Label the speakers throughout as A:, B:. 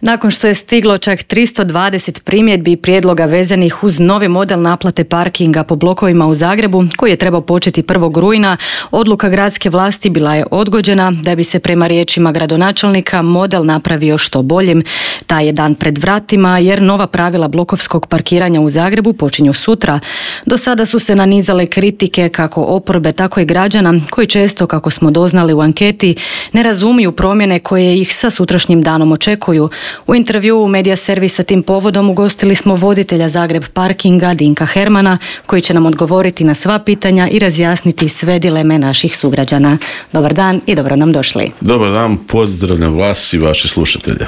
A: Nakon što je stiglo čak 320 primjedbi i prijedloga vezanih uz novi model naplate parkinga po blokovima u Zagrebu, koji je trebao početi 1. rujna, odluka gradske vlasti bila je odgođena da bi se prema riječima gradonačelnika model napravio što boljim. Taj je dan pred vratima jer nova pravila blokovskog parkiranja u Zagrebu počinju sutra. Do sada su se nanizale kritike kako oporbe, tako i građana koji često, kako smo doznali u anketi, ne razumiju promjene koje ih sa sutrašnjim danom očekuju. U intervjuu Medija servisa tim povodom ugostili smo voditelja Zagreb parkinga Dinka Hermana, koji će nam odgovoriti na sva pitanja i razjasniti sve dileme naših sugrađana. Dobar dan i dobro nam došli.
B: Dobar dan, pozdravljam vas i vaše slušatelje.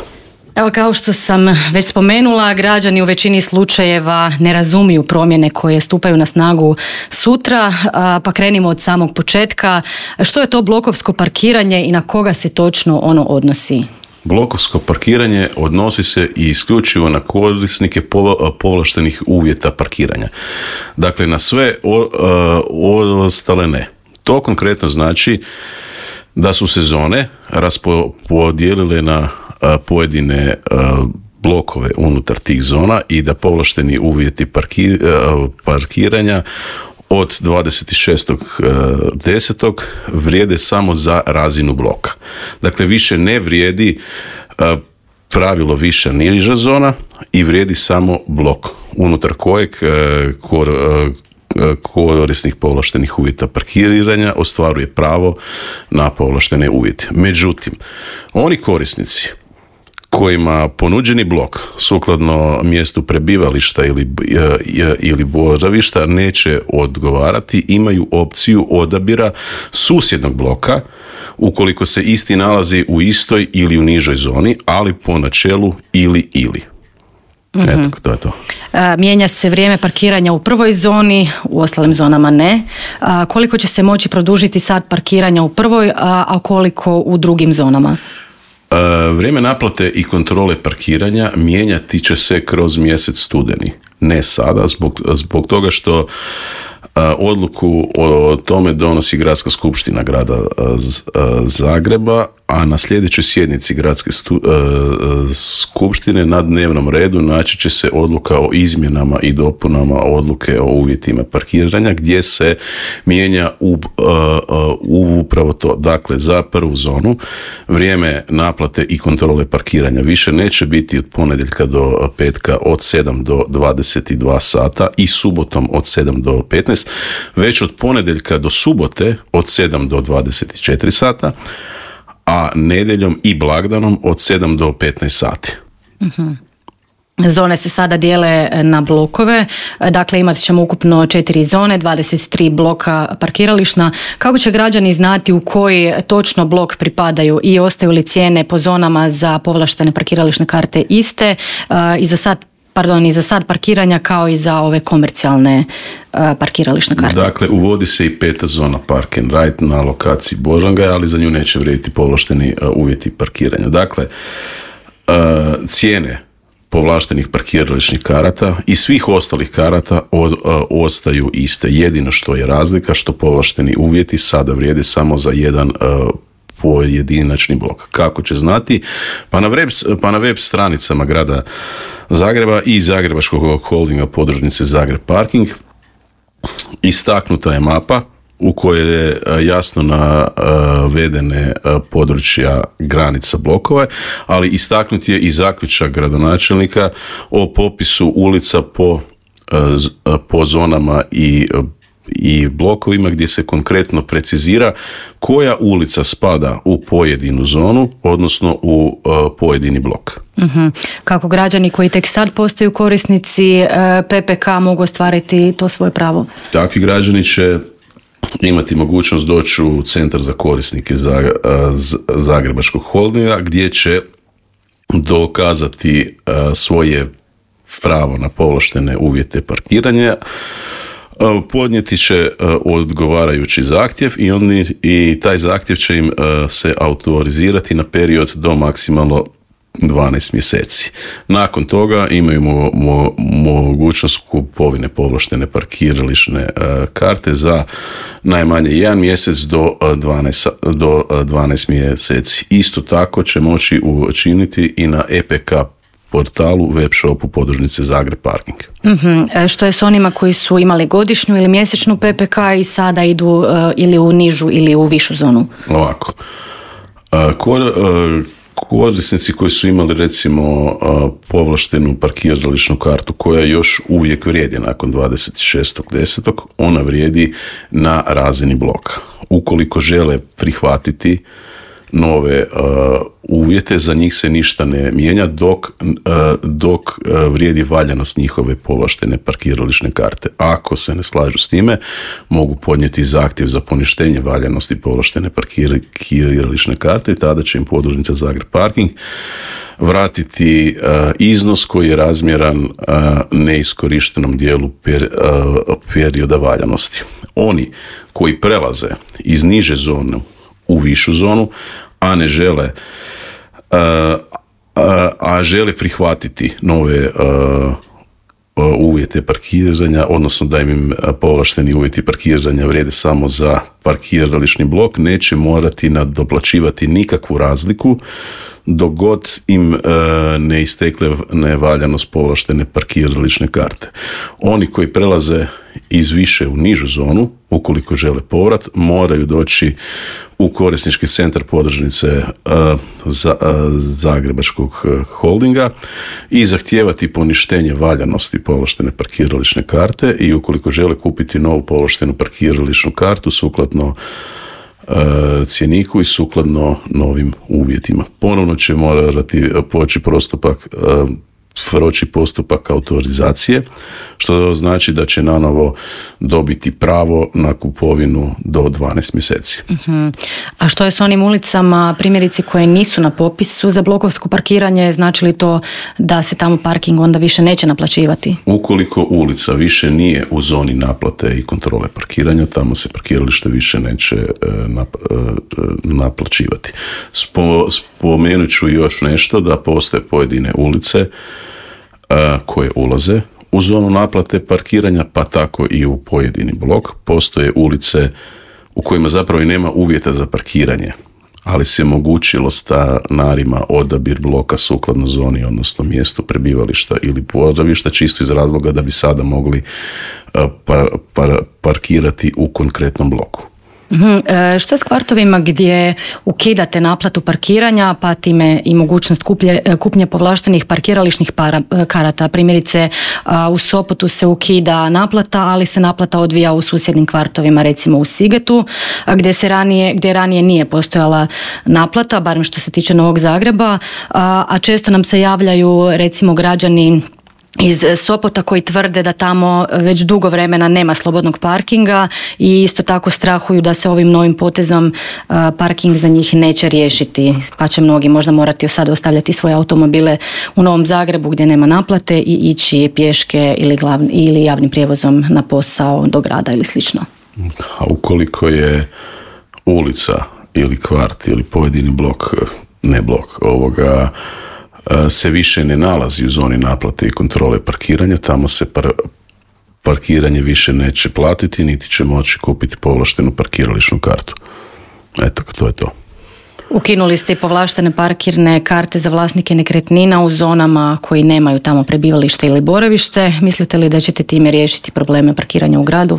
A: Evo, kao što sam već spomenula, građani u većini slučajeva ne razumiju promjene koje stupaju na snagu sutra, pa krenimo od samog početka. Što je to blokovsko parkiranje i na koga se točno ono odnosi?
B: Blokovsko parkiranje odnosi se i isključivo na korisnike povlaštenih uvjeta parkiranja. Dakle, na sve ostale ne. To konkretno znači da su se zone raspodijelile na pojedine blokove unutar tih zona i da povlašteni uvjeti parkiranja od 26.10. vrijede samo za razinu bloka. Dakle, više ne vrijedi pravilo viša niža zona i vrijedi samo blok unutar kojeg korisnik povlaštenih uvjeta parkiranja ostvaruje pravo na povlaštene uvjete. Međutim, oni korisnici kojima ponuđeni blok sukladno mjestu prebivališta ili boravišta neće odgovarati, imaju opciju odabira susjednog bloka ukoliko se isti nalazi u istoj ili u nižoj zoni, ali po načelu ili. Eto, to je to.
A: Mijenja se vrijeme parkiranja u prvoj zoni, u ostalim zonama ne. Koliko će se moći produžiti sat parkiranja u prvoj, a koliko u drugim zonama?
B: Vrijeme naplate i kontrole parkiranja mijenjati će se kroz mjesec studeni. Ne sada, zbog toga što odluku o tome donosi Gradska skupština grada Zagreba, a na sljedećoj sjednici Gradske skupštine na dnevnom redu naći će se odluka o izmjenama i dopunama odluke o uvjetima parkiranja gdje se mijenja upravo to. Dakle, za prvu zonu vrijeme naplate i kontrole parkiranja više neće biti od ponedjeljka do petka od 7 do 22 sata i subotom od 7 do 15, već od ponedjeljka do subote od 7 do 24 sata, a nedjeljom i blagdanom od 7 do 15 sati.
A: Uh-huh. Zone se sada dijele na blokove, dakle imat ćemo ukupno 4 zone, 23 bloka parkirališna. Kako će građani znati u koji točno blok pripadaju i ostaju li cijene po zonama za povlaštene parkirališne karte iste i za sad parkiranja kao i za ove komercijalne parkirališne karte?
B: Dakle, uvodi se i 5. zona Park and Ride na lokaciji Božangaj, ali za nju neće vrijediti povlašteni uvjeti parkiranja. Dakle, cijene povlaštenih parkirališnih karata i svih ostalih karata ostaju iste. Jedino što je razlika što povlašteni uvjeti sada vrijede samo za jedan pojedinačni blok. Kako će znati? Pa na web stranicama grada Zagreba i Zagrebačkog holdinga podružnice Zagreb Parking istaknuta je mapa u kojoj je jasno navedene područja granica blokova, ali istaknut je i zaključak gradonačelnika o popisu ulica po zonama i blokovima gdje se konkretno precizira koja ulica spada u pojedinu zonu, odnosno u pojedini blok.
A: Uh-huh. Kako građani koji tek sad postaju korisnici PPK mogu ostvariti to svoje pravo?
B: Takvi građani će imati mogućnost doći u centar za korisnike Zagrebačkog holdinga gdje će dokazati svoje pravo na povlaštene uvjete parkiranja, podnijeti će odgovarajući zahtjev i taj zahtjev će im se autorizirati na period do maksimalno 12 mjeseci. Nakon toga imaju mogućnost kupovine povlaštene parkirališne karte za najmanje 1 mjesec do 12 mjeseci. Isto tako će moći učiniti i na EPK portalu web shopu podružnice Zagreb Parking.
A: Što je s onima koji su imali godišnju ili mjesečnu PPK i sada idu ili u nižu ili u višu zonu?
B: Ovako. Korisnici koji su imali recimo povlaštenu parkirališnu kartu koja još uvijek vrijedi nakon 26.10. ona vrijedi na razini bloka. Ukoliko žele prihvatiti nove uvjete, za njih se ništa ne mijenja dok vrijedi valjanost njihove povlaštene parkirališne karte. Ako se ne slažu s time, mogu podnijeti zahtjev za poništenje valjanosti povlaštene parkirališne karte i tada će im podružnica Zagreb Parking vratiti iznos koji je razmjeran neiskorištenom dijelu perioda valjanosti. Oni koji prelaze iz niže zone u višu zonu, a ne žele žele prihvatiti nove uvjete parkiranja, odnosno da im povlašteni uvjeti parkiranja vrijede samo za parkirališni blok, neće morati nadoplaćivati nikakvu razliku dok god im ne istekle nevaljanost povlaštene parkirališne karte. Oni koji prelaze iz više u nižu zonu, ukoliko žele povrat, moraju doći u korisnički centar podružnice Zagrebačkog holdinga i zahtijevati poništenje valjanosti povlaštene parkirališne karte i ukoliko žele kupiti novu povlaštenu parkirališnu kartu sukladno cjeniku i sukladno novim uvjetima. Ponovno će morati proći postupak autorizacije, što znači da će nanovo dobiti pravo na kupovinu do 12 mjeseci.
A: A što je s onim ulicama, primjerice koje nisu na popisu za blokovsko parkiranje, znači li to da se tamo parking onda više neće naplaćivati?
B: Ukoliko ulica više nije u zoni naplate i kontrole parkiranja, tamo se parkiralište više neće naplaćivati. Spomenut ću još nešto, da postoje pojedine ulice koje ulaze u zonu naplate parkiranja, pa tako i u pojedini blok. Postoje ulice u kojima zapravo i nema uvjeta za parkiranje, ali se omogućilo stanarima odabir bloka sukladno zoni, odnosno mjestu prebivališta ili boravišta, čisto iz razloga da bi sada mogli parkirati u konkretnom bloku.
A: Što je s kvartovima gdje ukidate naplatu parkiranja, pa time i mogućnost kupnje povlaštenih parkirališnih karata? Primjerice, u Sopotu se ukida naplata, ali se naplata odvija u susjednim kvartovima, recimo u Sigetu, gdje ranije nije postojala naplata, barem što se tiče Novog Zagreba, a često nam se javljaju recimo građani iz Sopota koji tvrde da tamo već dugo vremena nema slobodnog parkinga i isto tako strahuju da se ovim novim potezom parking za njih neće riješiti, pa će mnogi možda morati sada ostavljati svoje automobile u Novom Zagrebu gdje nema naplate i ići pješke ili javnim prijevozom na posao do grada ili slično.
B: A ukoliko je ulica ili kvart ili pojedini blok, ne blok, se više ne nalazi u zoni naplate i kontrole parkiranja, tamo se parkiranje više neće platiti, niti će moći kupiti povlaštenu parkirališnu kartu. Eto, to je to.
A: Ukinuli ste i povlaštene parkirne karte za vlasnike nekretnina u zonama koji nemaju tamo prebivalište ili boravište. Mislite li da ćete time riješiti probleme parkiranja u gradu?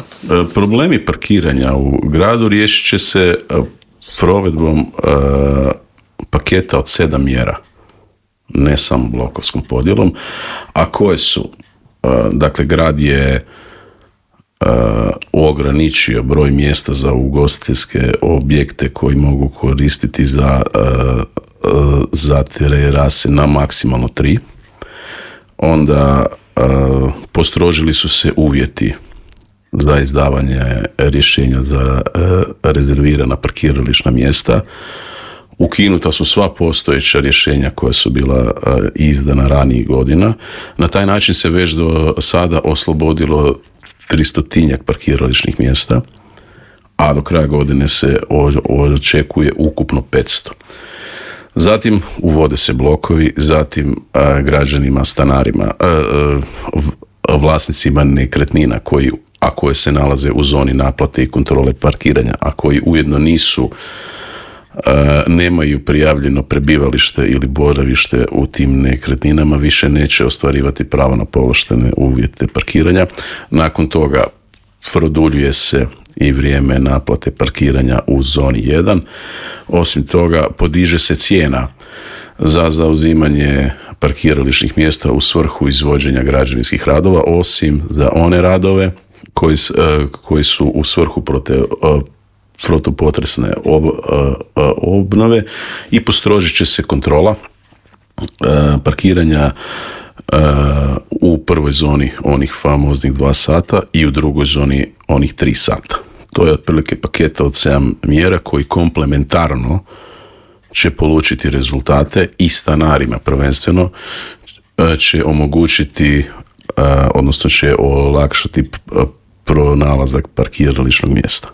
B: Problemi parkiranja u gradu riješit će se provedbom paketa od 7 mjera. Ne samo blokovskom podjelom, a koje su, dakle, grad je ograničio broj mjesta za ugostiteljske objekte koji mogu koristiti za terase na maksimalno 3. Onda postrožili su se uvjeti za izdavanje rješenja za rezervirana parkirališna mjesta. Ukinuta su sva postojeća rješenja koja su bila izdana ranijih godina. Na taj način se već do sada oslobodilo 300-tinjak parkirališnih mjesta, a do kraja godine se očekuje ukupno 500. Zatim uvode se blokovi, zatim građanima, stanarima, vlasnicima nekretnina koje se nalaze u zoni naplate i kontrole parkiranja, a koji ujedno nemaju prijavljeno prebivalište ili boravište u tim nekretninama, više neće ostvarivati pravo na povlaštene uvjete parkiranja. Nakon toga produljuje se i vrijeme naplate parkiranja u zoni 1. Osim toga, podiže se cijena za zauzimanje parkirališnih mjesta u svrhu izvođenja građevinskih radova, osim za one radove koji su u svrhu protupotresne obnove, i postrožit će se kontrola parkiranja u prvoj zoni onih famoznih 2 sata i u drugoj zoni onih 3 sata. To je otprilike paketa od 7 mjera koji komplementarno će polučiti rezultate i stanarima prvenstveno će omogućiti, odnosno će olakšati pronalazak parkirališnog mjesta.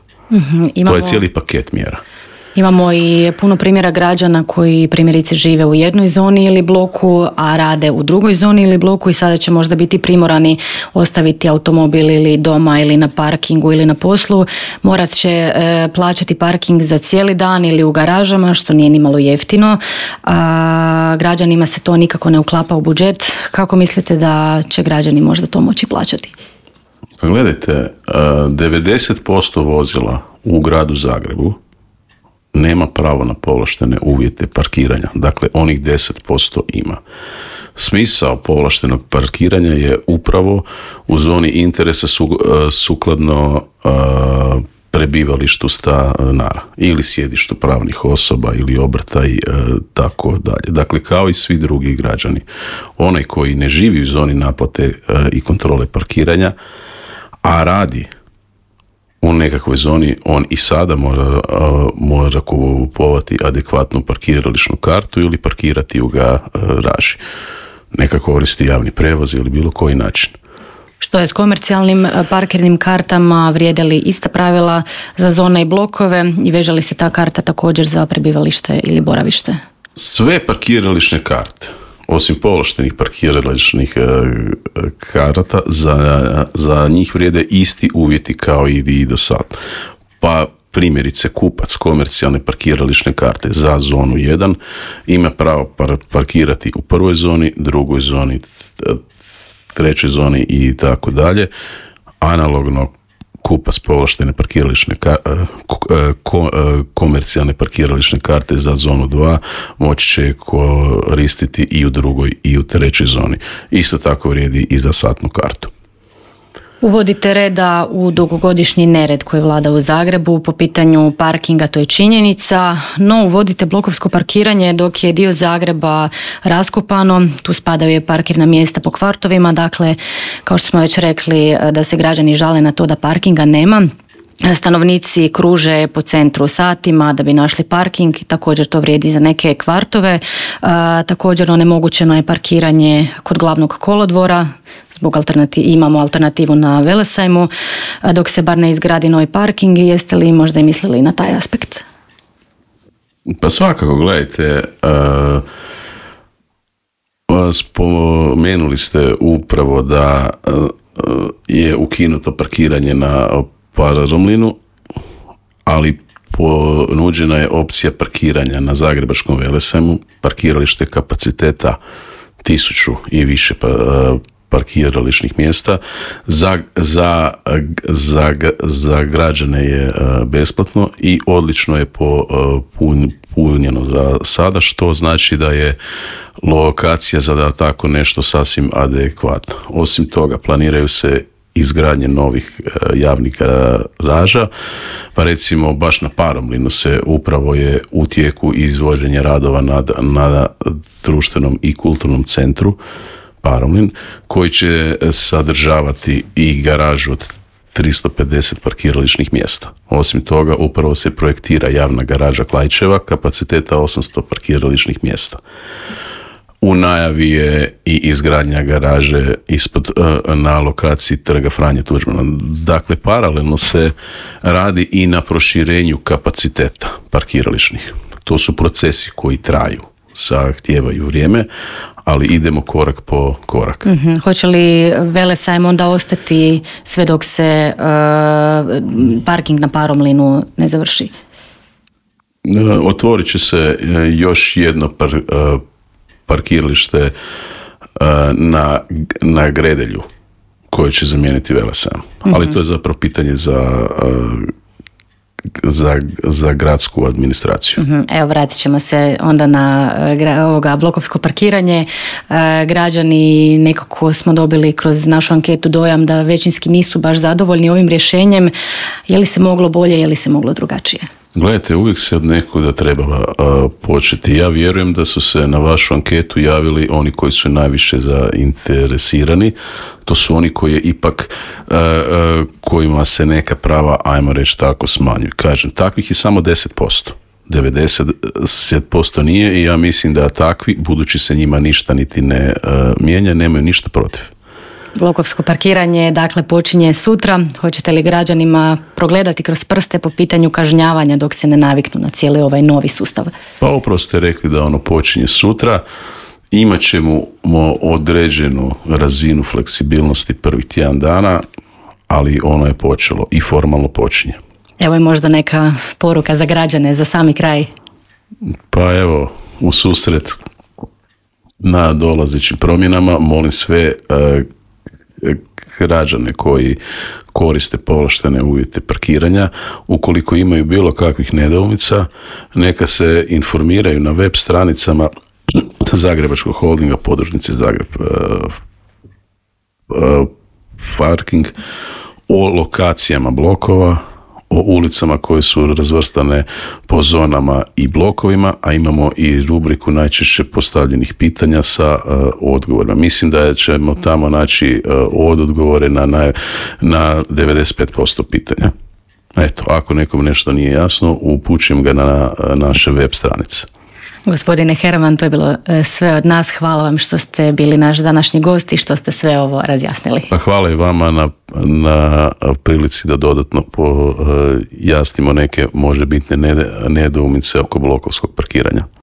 B: To je cijeli paket mjera.
A: Imamo i puno primjera građana koji primjerice žive u jednoj zoni ili bloku, a rade u drugoj zoni ili bloku i sada će možda biti primorani ostaviti automobil ili doma ili na parkingu ili na poslu. Morat će plaćati parking za cijeli dan ili u garažama, što nije nimalo jeftino. Građanima se to nikako ne uklapa u budžet. Kako mislite da će građani možda to moći plaćati?
B: Gledajte, 90% vozila u gradu Zagrebu nema pravo na povlaštene uvjete parkiranja. Dakle, onih 10% ima. Smisao povlaštenog parkiranja je upravo u zoni interesa sukladno prebivalištu stanara ili sjedištu pravnih osoba ili obrta i tako dalje. Dakle, kao i svi drugi građani. Onaj koji ne živi u zoni naplate i kontrole parkiranja, a radi u nekakvoj zoni, on i sada mora kupovati adekvatnu parkirališnu kartu ili parkirati u garaži. Neka koristi javni prevoz ili bilo koji način.
A: Što je s komercijalnim parkirnim kartama? Vrijede li ista pravila za zone i blokove i veže li se ta karta također za prebivalište ili boravište?
B: Sve parkirališne karte, osim povlaštenih parkirališnih karata, za njih vrijede isti uvjeti kao i do sad. Pa primjerice kupac komercijalne parkirališne karte za zonu 1 ima pravo parkirati u prvoj zoni, drugoj zoni, trećoj zoni i tako dalje. Analogno kupac povlaštene parkirališne komercijalne parkirališne karte za zonu 2 moći će koristiti i u drugoj i u trećoj zoni. Isto tako vrijedi i za satnu kartu.
A: Uvodite reda u dugogodišnji nered koji vlada u Zagrebu po pitanju parkinga, to je činjenica, no uvodite blokovsko parkiranje dok je dio Zagreba raskopano, tu spadaju i parkirna mjesta po kvartovima, dakle, kao što smo već rekli, da se građani žale na to da parkinga nema. Stanovnici kruže po centru satima da bi našli parking, također to vrijedi za neke kvartove. Također onemogućeno je parkiranje kod glavnog kolodvora, zbog imamo alternativu na Velesajmu, dok se bar ne izgradi novi parking. Jeste li možda i mislili na taj aspekt?
B: Pa svakako, gledajte, spomenuli ste upravo da je ukinuto parkiranje na Parazomlinu, ali ponuđena je opcija parkiranja na Zagrebačkom Velesajmu, parkiralište kapaciteta 1000 i više parkirališnih mjesta. Za građane je besplatno i odlično je punjeno za sada, što znači da je lokacija za tako nešto sasvim adekvatna. Osim toga, planiraju se izgradnje novih javnih garaža, pa recimo baš na Paromlinu se upravo je u tijeku izvođenje radova na društvenom i kulturnom centru Paromlin, koji će sadržavati i garažu od 350 parkirališnih mjesta. Osim toga, upravo se projektira javna garaža Klaićeva kapaciteta 800 parkirališnih mjesta. U najavi je i izgradnja garaže na lokaciji Trga Franje Tuđmana. Dakle, paralelno se radi i na proširenju kapaciteta parkirališnih. To su procesi koji traju, zahtijevaju vrijeme, ali idemo korak po korak.
A: Hoće li Velesajam onda ostati sve dok se parking na Paromlinu ne završi?
B: Otvorit će se još jedno parkiralište na Gredelju koje će zamijeniti Velesajam. Ali to je zapravo pitanje za gradsku administraciju.
A: Evo, vratit ćemo se onda na ovoga blokovsko parkiranje. Građani, nekako smo dobili kroz našu anketu dojam da većinski nisu baš zadovoljni ovim rješenjem. Je li se moglo bolje, je li se moglo drugačije?
B: Gledajte, uvijek se od nekuda treba početi. Ja vjerujem da su se na vašu anketu javili oni koji su najviše zainteresirani. To su oni koji ipak, kojima se neka prava, ajmo reći tako, smanjuju. Kažem, takvih je samo 10%. 90% nije i ja mislim da takvi, budući se njima ništa niti ne mijenja, nemaju ništa protiv.
A: Blokovsko parkiranje, dakle, počinje sutra. Hoćete li građanima progledati kroz prste po pitanju kažnjavanja dok se ne naviknu na cijeli ovaj novi sustav?
B: Pa upravo ste rekli da ono počinje sutra. Imat ćemo određenu razinu fleksibilnosti prvih tjedan dana, ali ono je počelo i formalno počinje.
A: Evo je možda neka poruka za građane, za sami kraj.
B: Pa evo, u susret na dolazećim promjenama molim sve građane koji koriste povlaštene uvjete parkiranja, ukoliko imaju bilo kakvih nedoumica, neka se informiraju na web stranicama Zagrebačkog holdinga, podružnice Zagreb parking, o lokacijama blokova, o ulicama koje su razvrstane po zonama i blokovima, a imamo i rubriku najčešće postavljenih pitanja sa odgovorima. Mislim da ćemo tamo naći odgovore na 95% pitanja. Eto, ako nekom nešto nije jasno, upućujem ga na naše web stranice.
A: Gospodine Herman, to je bilo sve od nas. Hvala vam što ste bili naš današnji gost i što ste sve ovo razjasnili. Pa
B: hvala i vama na prilici da dodatno pojasnimo neke možebitne nedoumice oko blokovskog parkiranja.